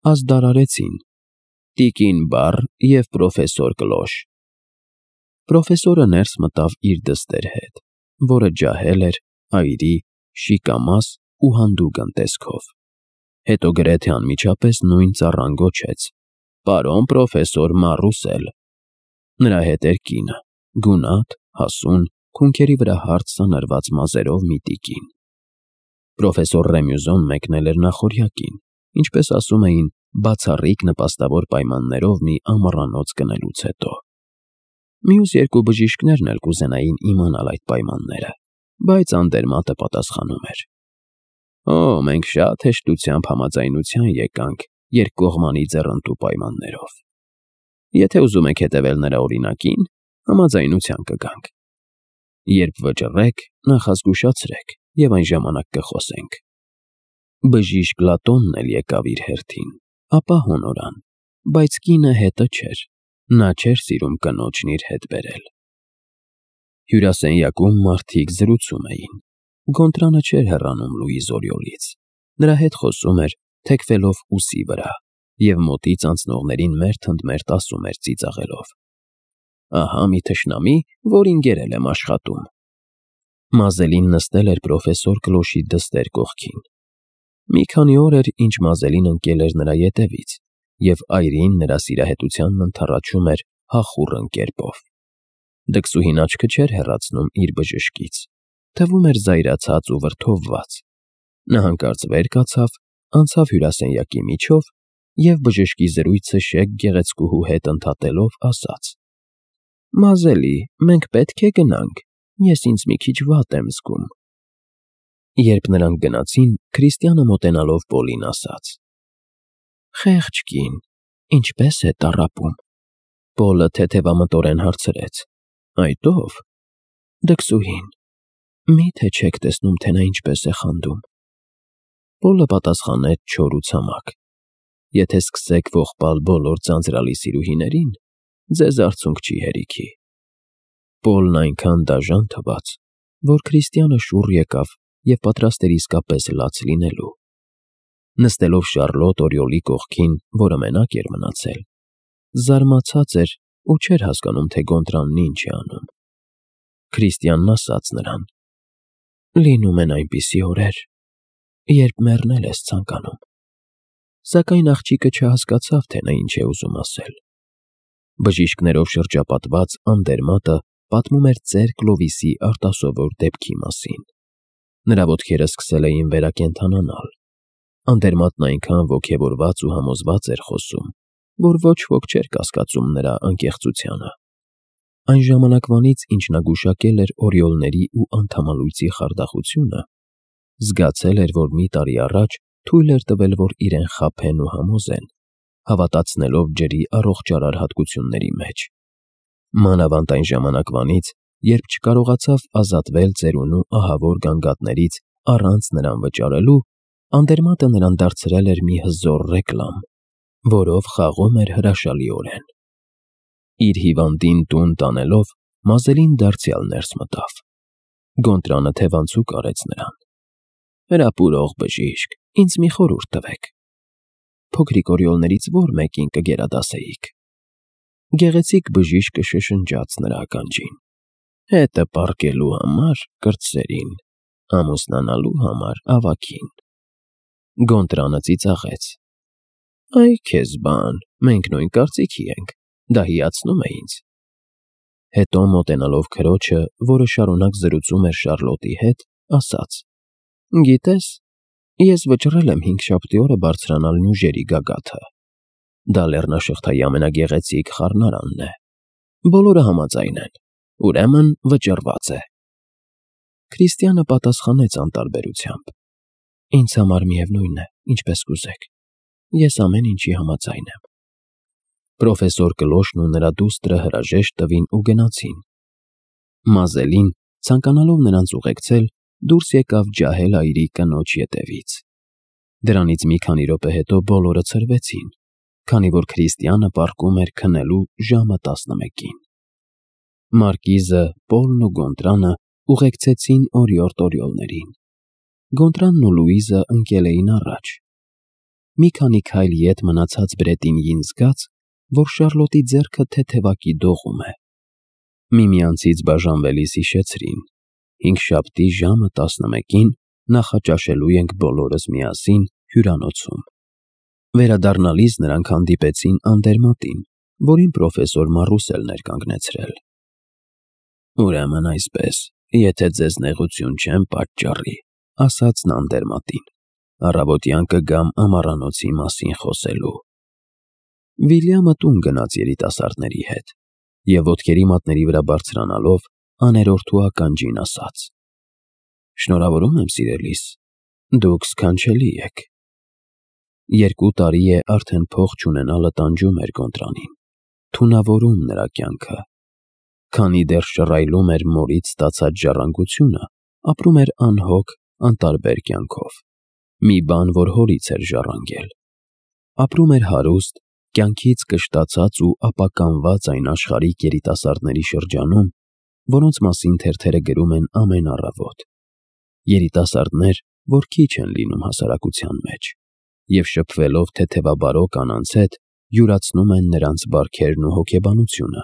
ազդարարեցին. տիկին Բառ և պրոֆեսոր Կլոշ։ Պրոֆեսորը ներս մտավ իր դստեր հետ, որը ջահել էր, այրի, շիկամաս ու հանդուգն տեսքով։ Հետո գրեթե անմիջապես նույն ծառան գոչեց. «Պարոն պրոֆեսոր Մարուսել»։ Նրա հետ էր կինը, գունատ, հասուն, քունքերի վրա հարթ սանրված մազերով մի տիկին։ Պրոֆեսոր Ռեմյուզոն մեկնել էր նախօրյակին, ինչպես ասում էին, բացառիկ նպաստավոր պայմաններով մի ամառանոց գնելուց հետո։ Մյուս երկու բժիշկներն էլ կուզենային իմանալ այդ պայմանները, բայց Անդերմատը պատասխանում էր. մենք շատ հեշտությամբ համաձայնության եկանք երկկողմանի ձեռնտու պայմաններով։ Եթե ուզում եք հետևել նրա օրինակին, համաձայնության կգանք։ Երբ վճռեք, նախազգուշացրեք և այն ժամանակ կխոսենք։ Բժիշկ Լատոնն էլ եկավ իր հերթին, ապա հոնորան, բայց կինը հետը չէր, նա չէր սիրում կնոջն իր հետ բերել։ Հյուրասենյակում մարդիկ զրուցում էին։ Գոնտրանը չէր հեռանում Լուիզ Օրիոլից, նրա հետ խոսում էր, թեքվելով ուսի վրա, և մոտից անցնողներին մերթընդմերթ ասում էր ծիծաղելով. «Ահա մի թշնամի, որին գերել եմ աշխատում»։ Մազելին նստել էր պրոֆեսոր Կլոշի դստեր կողքին։ Մի քանի օր էր, ինչ Մազելին ընկել էր նրա ետևից, և այրին նրա սիրահետությանն ընդառաջում էր հախուռն կերպով։ Դքսուհին աչքը չէր հեռացնում իր բժշկից, թվում էր զայրացած ու վրդովված։ Նա հանկարծ վեր կացավ, անցավ հյուրասենյակի միջով և բժշկի զրույցը շեկ գեղեցկուհու հետ ընդհատելով ասաց. «Մազելի, մենք պետք է գնանք, ես ինձ մի քիչ վատ եմ զգում»։ Երբ նրանք գնացին, Քրիստիանը մոտենալով Պոլին ասաց. «Խեղճ կին, ինչպե՞ս է տառապում»։ Պոլը թեթևամտորեն հարցրեց. «Այդ ո՞վ»։ «Դքսուհին, մի՞թե չեք տեսնում, թե նա ինչպես է խանդում»։ Պոլը պատասխանեց չոր ու ցամաք. «Եթե սկսեք ողբալ բոլոր ձանձրալի սիրուհիներին, ձեզ արցունք չի հերիքի»։ Պոլն այնքան դաժան թվաց, որ Քրիստիանը շուռ եկավ և պատրաստ էր իսկապես լաց լինելու։ Նստելով Շառլոտ Օրիոլի կողքին, որը մենակ էր մնացել, զարմացած էր ու չէր հասկանում, թե Գոնտրանն ինչ է անում։ Քրիստիանն ասաց նրան. «Լինում են այնպիսի օրեր, երբ մեռնել ես ցանկանում»։ Սակայն աղջիկը չհասկացավ, թե նա ինչ է ուզում ասել։ Բժիշկներով շրջապատված Անդերմատը պատմում էր ծեր Կլովիսի արտասովոր դեպքի մասին։ Նրա ոտքերը սկսել էին վերակենդանանալ։ Անդերմատն այնքան ոգևորված ու համոզված էր խոսում, որ ոչ ոք չէր կասկածում նրա անկեղծությանը։ Այն ժամանակվանից, ինչ նա գուշակել էր օրիոլների ու անդամալույծի խարդախությունը, զգացել էր, որ մի տարի առաջ թույլ էր տվել, որ իրեն խաբեն ու համոզեն, հավատացնելով ջրի առողջարար հատկությունների մեջ։ Մանավանդ այն ժամանակվանից, երբ չկարողացավ ազատվել ծերունու ահավոր գանգատներից առանց նրան վճարելու, Անդերմատը նրան դարձրել էր մի հզոր ռեկլամ, որով խաղում էր հրաշալիորեն։ Իր հիվանդին տուն տանելով, Մազելին դարձյալ ներս մտավ։ Գոնտրանը թևանցուկ արեց նրան. «Հրապուրող բժիշկ, ինձ մի խորհուրդ տվեք»։ «Փոքրիկ օրիոլներից ո՞ր մեկին կգերադասեիք»։ Գեղեցիկ բժիշկը շշնջաց նրա ականջին. «Հետը պառկելու համար կրտսերին, ամուսնանալու համար ավագին»։ Գոնտրանը ծիծաղեց. «Այ քեզ բան, մենք նույն կարծիքի ենք, դա հիացնում է ինձ»։ Հետո մոտենալով քրոջը, որը շարունակ զրուցում էր Շառլոտի հետ, ասաց. «Գիտես, ես վճռել եմ հինգշաբթի օրը բարձրանալ Նյուժերի գագաթը։ Դա լեռնաշղթայի ամենագեղեցիկ խառնարանն է։ Բոլորը համաձայն են, ուրեմն վճռված է»։ Քրիստիանը պատասխանեց անտարբերությամբ. «Ինձ համար միևնույն է, ինչպես կուզեք, ես ամեն ինչի համաձայն եմ»։ Պրոֆեսոր Կլոշն ու նրա դուստրը հրաժեշտ տվին ու գնացին։ Մազելին, ցանկանալով նրանց ուղեկցել, դուրս եկավ ջահել այրի կնոջ ետևից։ Դրանից մի քանի րոպե հետո բոլորը ցրվեցին, քանի որ Քրիստիանը պառկում էր քնելու ժամը 11-ին։ Մարկիզը, Պոլն ու Գոնտրանը ուղեկցեցին օրիորդ օրիոլներին։ Գոնտրանն ու Լուիզը ընկել էին առաջ։ մի քանի քայլ ետ մնացած Բրետինյին զգաց, որ Շարլոտի ձեռքը թեթևակի դողում է։ Միմյանցից բաժանվելիս հիշեցրին. հինգշաբթի ժամը 11-ին նախաճաշելու ենք բոլորս միասին հյուրանոցում։ Վերադառնալիս նրանք հանդիպեցին Անդերմատին, որին պրոֆեսոր Մարուսելն էր կանգնեցրել։ Ուրեմն այսպես, եթե ձեզ նեղություն չեմ պատճառի, ասաց նա Անդերմատին, առավոտյան կգամ ամառանոցի մասին խոսելու։ Վիլյամը տուն գնաց երիտասարդների հետ և ոտքերի մատների վրա բարձրանալով աներորդու ականջին ասաց. Շնորհավորում եմ սիրելիս, դուք սքանչելի եք։ 2 տարի է արդեն փող չունենալը տանջում էր Գոնտրանին, թունավորում նրա կյանքը։ Քանի դեռ շռայլում էր մորից ստացած ժառանգությունը, ապրում էր անհոգ, անտարբեր կյանքով, մի բան, որ հորից էր ժառանգել։ Ապրում էր հարուստ, կյանքից կշտացած ու ապականված այն աշխարհիկ երիտասարդների շրջանում, որոնց մասին թերթերը գրում են ամեն առավոտ։ Երիտասարդներ, որ քիչ են լինում հասարակության մեջ, և շփվելով թեթևաբարո կանանց հետ, յուրացնում են նրանց բարքերն ու հոգեբանությունը։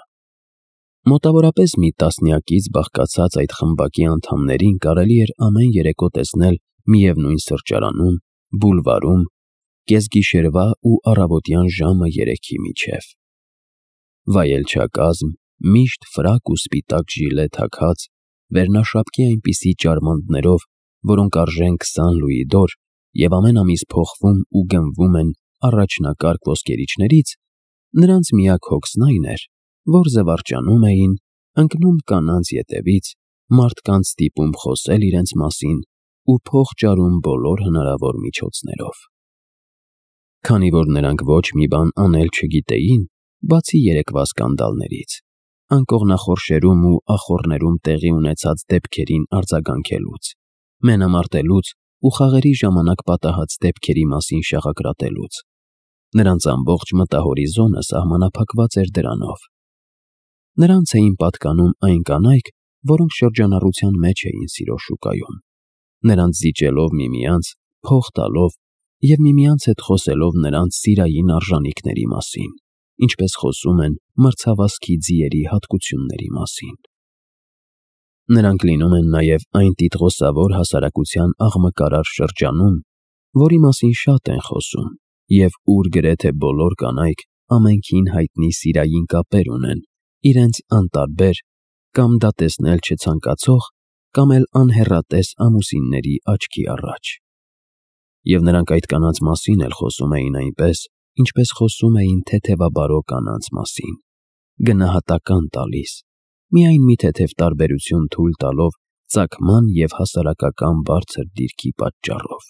Մոտավորապես մի տասնյակից բաղկացած այդ խմբակի անդամներին կարելի էր ամեն երեկո տեսնել միևնույն սրճարանում, բուլվարում, կեսգիշերվա ու առավոտյան ժամը 3-ի միջև։ Վայելչակազմ, միշտ ֆրակ ու սպիտակ ժիլե թաքած, վերնաշապկի այնպիսի ճարմանտներով, որոնք արժեն 20 լուիդոր և ամեն ամիս փոխվում ու գնվում են առաջնակարգ ոսկերիչներից, նրանց միակ հոգսն այն էր, որ զվարճանում էին, ընկնում կանանց ետևից, մարդկանց ստիպում խոսել իրենց մասին ու փող ճարում բոլոր հնարավոր միջոցներով։ Քանի որ նրանք ոչ մի բան անել չգիտեին, բացի երեկվա սկանդալներից, անկողնախորշերում ու ախոռներում տեղի ունեցած դեպքերին արձագանքելուց, մենամարտելուց ու խաղերի ժամանակ պատահած դեպքերի մասին շաղակրատելուց, նրանց ամբողջ մտահորիզոնը սահմանափակված էր դրանով։ Նրանց էին պատկանում այն կանայք, որոնք շրջանառության մեջ էին սիրո շուկայում, նրանց զիջելով միմյանց, փող տալով և միմյանց հետ խոսելով նրանց սիրային արժանիքների մասին, ինչպես խոսում են մրցավազքի ձիերի հատկությունների մասին։ Նրանք լինում են նաև այն տիտղոսավոր հասարակության աղմկարար շրջանում, որի մասին շատ են խոսում և ուր գրեթե բոլոր կանայք ամենքին հայտնի սիրային կապեր ունեն իրենց անտարբեր կամ դա տեսնել չցանկացող կամ էլ անհեռատես ամուսինների աչքի առաջ։ Եվ նրանք այդ կանանց մասին էլ խոսում էին այնպես, ինչպես խոսում էին թեթևաբարո կանանց մասին, գնահատական տալիս, միայն մի թեթև տարբերություն թույլ տալով ծագման և հասարակական բարձր դիրքի պատճառով։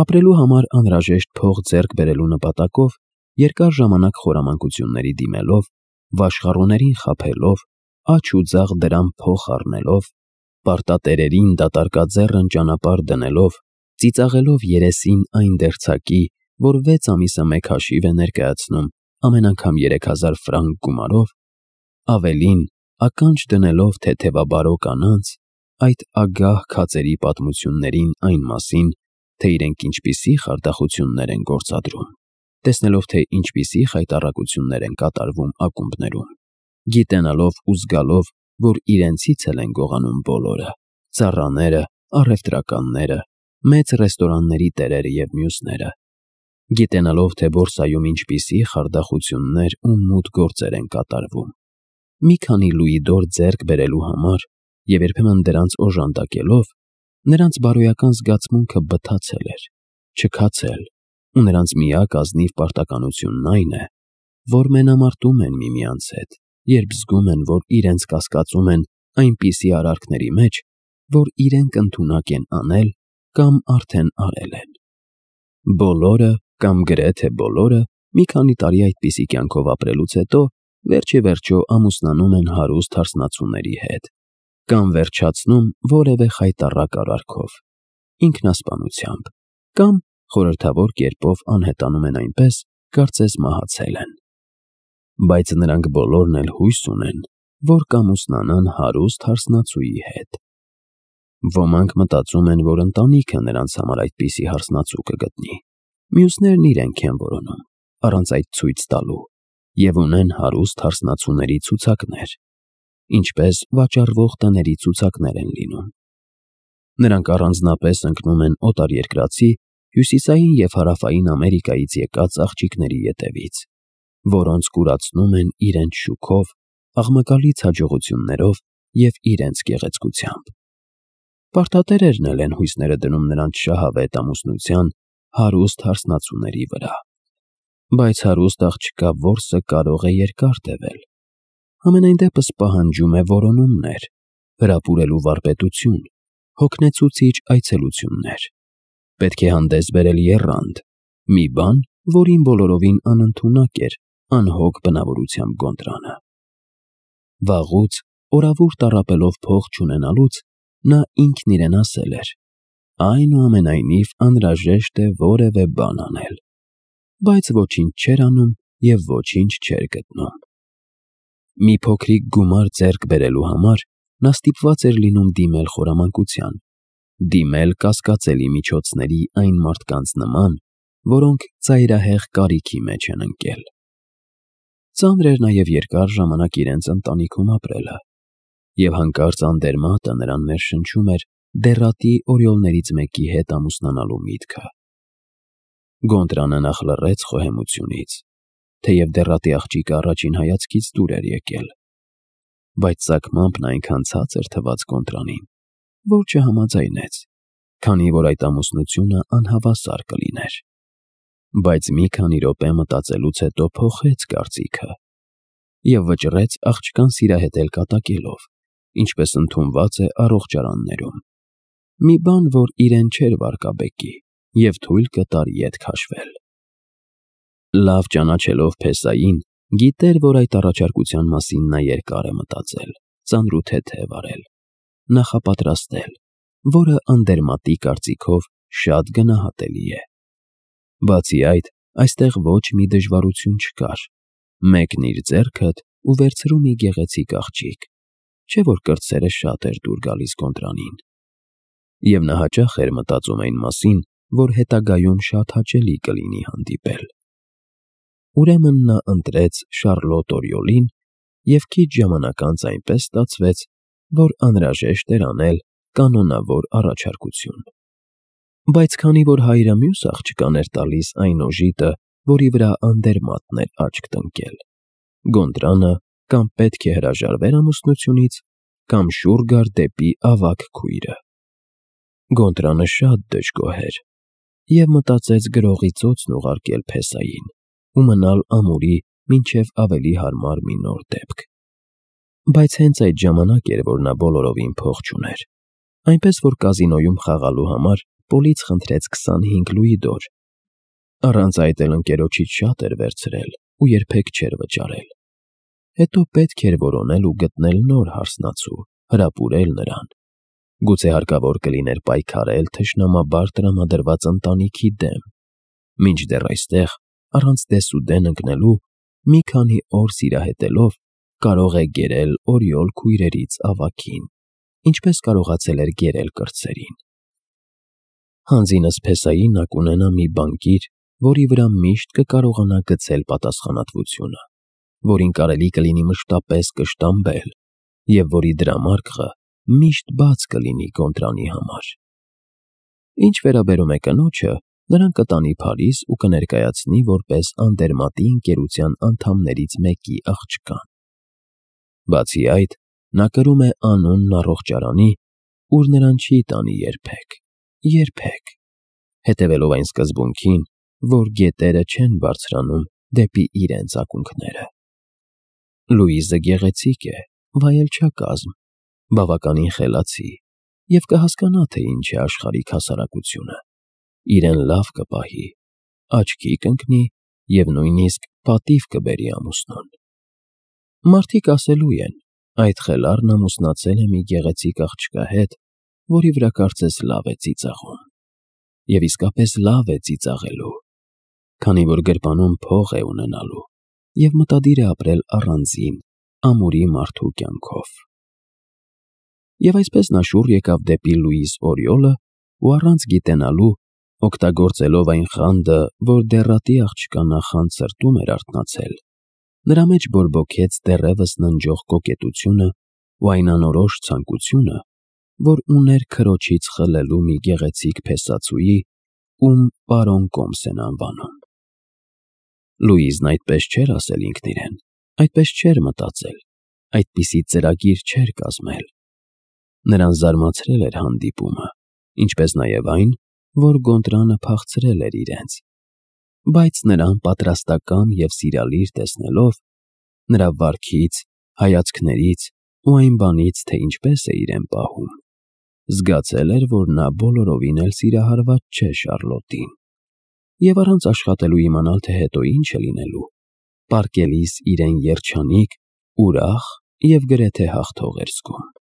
Ապրելու համար անհրաժեշտ փող ձեռք բերելու նպատակով երկար ժամանակ խորամանկությունների դիմելով, վաշխառուներին խաբելով, աջ ու ձախ դրամ փող առնելով, պարտատերերին դատարկաձեռն ճանապարհ դնելով, ծիծաղելով երեսին այն դերձակի, որ 6 ամիսը մեկ հաշիվ է ներկայացնում ամեն անգամ 3000 ֆրանկ գումարով, ավելին, ականջ դնելով թեթևաբարո կանանց, այդ ագահ քածերի պատմություններին այն մասին, թե իրենք ինչպիսի խարդախություններ են գործադրում, տեսնելով, թե ինչպիսի խայտառակություններ են կատարվում ակումբներում, գիտենալով ու զգալով, որ իրենցից էլ են գողանում բոլորը, ծառաները, առևտրականները, մեծ ռեստորանների տերերը և մյուսները, գիտենալով, թե բորսայում ինչպիսի խարդախություններ ու մութ գործեր են կատարվում, մի քանի լուիդոր ձեռք բերելու համար և երբեմն դրանց օժանդակելով, նրանց բարոյական զգացմունքը բթացել էր, չքացել, ու նրանց միակ ազնիվ պարտականությունն այն է, որ մենամարտում են միմյանց հետ, երբ զգում են, որ իրենց կասկածում են այնպիսի արարքների մեջ, որ իրենք ընդունակ են անել կամ արդեն արել են։ Բոլորը կամ գրեթե բոլորը մի քանի տարի այդպիսի կյանքով ապրելուց հետո վերջիվերջո ամուսնանում են հարուստ հարսնացուների հետ կամ վերջացնում որևէ խայտառակ արարքով, ինքնասպանությամբ կամ խորհրդավոր կերպով անհետանում են այնպես, կարծես մահացել են։ Բայց նրանք բոլորն էլ հույս ունեն, որ կամուսնանան հարուստ հարսնացուի հետ։ Ոմանք մտածում են, որ ընտանիքը նրանց համար այդպիսի հարսնացու կգտնի, Մյուսներն իրենք են որոնում, առանց այդ ցույց տալու, և ունեն հարուստ հարսնացուների ցուցակներ, ինչպես վաճառվող տների ցուցակներ են լինում։ Նրանք առանձնապես ընկնում են օտարերկրացի, հյուսիսային և հարավային Ամերիկայից եկած աղջիկների ետևից, որոնց կուրացնում են իրենց շուքով, աղմկալից հաջողություններով և իրենց գեղեցկությամբ։ Պարտատերերն էլ են հույսները դնում նրանց շահավետ ամուսնության հարուստ հարսնացուների վրա։ Բայց հարուստ աղջկա որսը կարող է երկար տևել։ Համենայն դեպս պահանջում է որոնումներ, հրապուրելու վարպետություն, հոգնեցուցիչ այցելություններ։ Պետք է հանդես բերել եռանդ, մի բան, որին բոլորովին անընդունակ էր անհոգ բնավորությամբ Գոնտրանը։ Վաղուց, օրավուր տառապելով փող չունենալուց, նա ինքն իրեն ասել էր. այնուամենայնիվ անհրաժեշտ է որևէ բան անել, բայց ոչինչ չէր անում և ոչինչ չէր գտնում։ Մի փոքրիկ գումար ձեռք բերելու համար նա ստիպված էր լինում դիմել խորամանկության, դիմել կասկածելի միջոցների այն մարդկանց նման, որոնք ծայրահեղ կարիքի մեջ են ընկել։ Ծանր էր նաև երկար ժամանակ իրենց ընտանիքում ապրելը, և հանկարծ անդերմատը նրան ներշնչում էր դեռատի օրիոլներից մեկի հետ ամուսնանալու միտքը։ Գոնտրանը նախ լռեց խոհեմությունից, թեև դեռատի աղջիկը առաջին հայացքից դուր էր եկել, բայց ծագմամբ նա այնքան ցածր թվաց Գոնտրանին, որ չհամաձայնեց, քանի որ այդ ամուսնությունը անհավասար կլիներ։ Բայց մի քանի րոպե մտածելուց հետո փոխեց կարծիքը և վճռեց աղջկան սիրահետել կատակելով, ինչպես ընդունված է առողջարաններում, մի բան, որ իրեն չէր վարկաբեկի և թույլ կտար ետ քաշվել։ Լավ ճանաչելով Փեսային, գիտեր, որ այդ առաջարկության մասին նա երկար է մտածել, ծանրութեթև արել, նախապատրաստել, որը անդերմատի կարծիքով շատ գնահատելի է։ Բացի այդ, այստեղ ոչ մի դժվարություն չկար, մեկնիր ձեռքդ ու վերցրու մի գեղեցիկ աղջիկ, չէ՞ որ կրտսերը շատ էր դուր գալիս Գոնտրանին։ Եվ նա հաճախ էր մտածում այն մասին, որ հետագայում շատ հաճելի կլինի հանդիպել։ Ուրեմն նա ընտրեց Շառլոտ Օրիոլին և քիչ ժամանակ անց այնպես ստացվեց, որ անհրաժեշտ էր անել կանոնավոր առաջարկություն։ Բայց քանի որ հայրը մյուս աղջկան էր տալիս այն օժիտը, որի վրա անդերմատն էր աչք տնկել, Գոնտրանը կամ պետք է հրաժարվեր ամուսնությունից, կամ շուռ գար դեպի ավագ քույրը։ Գոնտրանը շատ դժգոհ էր և մտածեց գրողի ծոցն ուղարկել Փեսային ու մնալ ամուրի մինչև ավելի հարմար մի նոր դեպք։ Բայց հենց այդ ժամանակ էր, որ նա բոլորովին փող չուներ, այնպես որ կազինոյում խաղալու համար Պոլից խնդրեց 25 լուիդոր։ Առանց այդ էլ ընկերոջից շատ էր վերցրել ու երբեք չէր վճարել։ Հետո պետք էր որոնել ու գտնել նոր հարսնացու, հրապուրել նրան։ Գուցե հարկավոր կլիներ պայքարել թշնամաբար տրամադրված ընտանիքի դեմ, մինչդեռ այստեղ, առանց դեսուդեն ընկնելու, մի քանի օր սիրահետելով, կարող է գերել օրիոլ քույրերից ավագին, ինչպես կարողացել էր գերել կրտսերին։ Հանձինս Փեսայի նա կունենա մի բանկիր, որի վրա միշտ կկարողանա գցել պատասխանատվությունը, որին կարելի կլինի մշտապես կշտամբել և որի դրամարկղը միշտ բաց կլինի Գոնտրանի համար։ Ինչ վերաբերում է կնոջը, նրան կտանի Փարիզ ու կներկայացնի որպես անդերմատի ընկերության անդամներից մեկի աղջկան։ Բացի այդ, նա կրում է անունն առողջարանի, ուր նրան չի տանի երբեք, հետևելով այն սկզբունքին, որ գետերը չեն բարձրանում դեպի իրենց ակունքները։ Լուիզը գեղեցիկ է, վայելչակազմ, բավականին խելացի և կհասկանա, թե ինչ է աշխարհիկ հասարակությունը, իրեն լավ կպահի, աչքի կընկնի և նույնիսկ պատիվ կբերի ամուսնուն։ Մարդիկ ասելու են. այդ խելառն ամուսնացել է մի գեղեցիկ աղջկա հետ, որի վրա կարծես լավ է ծիծաղում։ Եվ իսկապես լավ է ծիծաղելու, քանի որ գրպանում փող է ունենալու և մտադիր է ապրել առանձին, ամուրի մարդու կյանքով։ Եվ այսպես նա շուռ եկավ դեպի Լուիզ Օրիոլը ու առանց գիտենալու, Օգտագործելով այն խանդը, որ դեռատի աղջկա նախանձ սրտում էր արթնացել, նրա մեջ բորբոքեց դեռևս ննջող կոկետությունը ու այն անորոշ ցանկությունը, որ ուներ քրոջից խլելու մի գեղեցիկ փեսացուի, ում պարոն Կոմս են անվանում։ Լուիզն այդպես չէր ասել ինքն իրեն, այդպես չէր մտածել, այդպիսի ծրագիր չէր կազմել։ Նրան զարմացրել էր հանդիպումը, ինչպես նաև այն, որ Գոնտրանը փախցրել էր իրենց, բայց նրան պատրաստակամ և սիրալիր տեսնելով, նրա վարքից, հայացքներից ու այն բանից, թե ինչպես է իրեն պահում, զգացել էր, որ նա բոլորովին էլ սիրահարված չէ Շառլոտին, և առանց աշխատելու իմանալ, թե հետո ինչ է լինելու, պառկելիս իրեն երջանիկ, ուրախ և գրեթե հաղթող էր զգում։